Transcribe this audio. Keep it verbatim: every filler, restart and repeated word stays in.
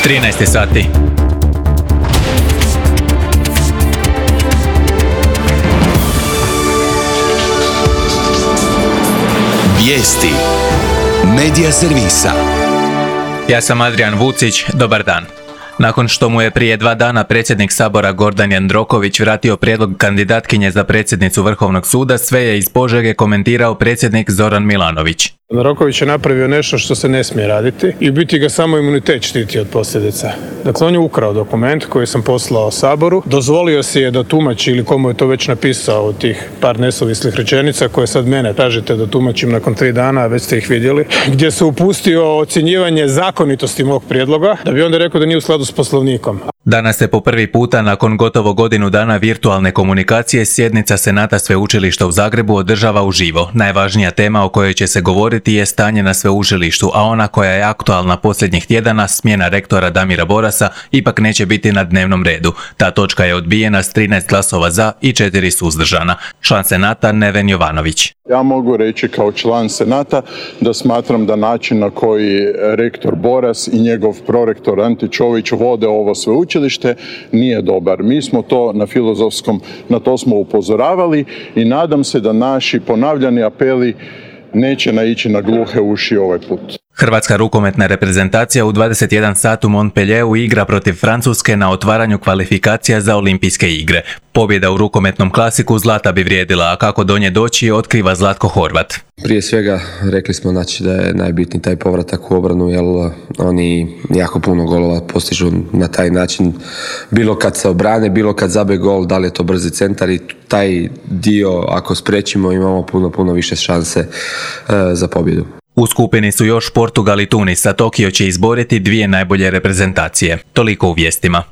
trinaest sati. Vijesti Medija servisa. Ja sam Adrian Vucić, dobar dan. Nakon što mu je prije dva dana predsjednik Sabora Gordan Jandroković vratio prijedlog kandidatkinje za predsjednicu Vrhovnog suda, sve je iz Požege komentirao predsjednik Zoran Milanović. Jandroković je napravio nešto što se ne smije raditi i u biti ga samo imunitet štiti od posljedica. Dakle, on je ukrao dokument koji sam poslao Saboru, dozvolio si je da tumači ili komu je to već napisao od tih par nesuvislih rečenica koje sad mene tražite da tumačim nakon tri dana, a već ste ih vidjeli, gdje se upustio ocjenjivanje zakonitosti mog prijedloga, da bi onda rekao da nije u skladu s Poslovnikom. Danas se po prvi puta nakon gotovo godinu dana virtualne komunikacije sjednica Senata Sveučilišta u Zagrebu održava uživo. Najvažnija tema o kojoj će se govoriti je stanje na sveučilištu, a ona koja je aktualna posljednjih tjedana, smjena rektora Damira Borasa, ipak neće biti na dnevnom redu. Ta točka je odbijena s trinaest glasova za i četiri suzdržana. Član Senata Neven Jovanović. Ja mogu reći kao član Senata da smatram da način na koji rektor Boras i njegov prorektor Ante Čović vode ovo sveučilište nije dobar. Mi smo to na Filozofskom, na to smo upozoravali i nadam se da naši ponavljani apeli neće naići na gluhe uši ovaj put. Hrvatska rukometna reprezentacija u dvadeset jedan sat u Montpellieru igra protiv Francuske na otvaranju kvalifikacija za Olimpijske igre. Pobjeda u rukometnom klasiku zlata bi vrijedila, a kako do nje doći otkriva Zlatko Horvat. Prije svega rekli smo znači, da je najbitniji taj povratak u obranu, jer oni jako puno golova postižu na taj način. Bilo kad se obrane, bilo kad zabe gol, da li je to brzi centar i taj dio ako spriječimo imamo puno, puno više šanse e, za pobjedu. U skupini su još Portugal i Tunis, a Tokio će izboriti dvije najbolje reprezentacije. Toliko u vijestima.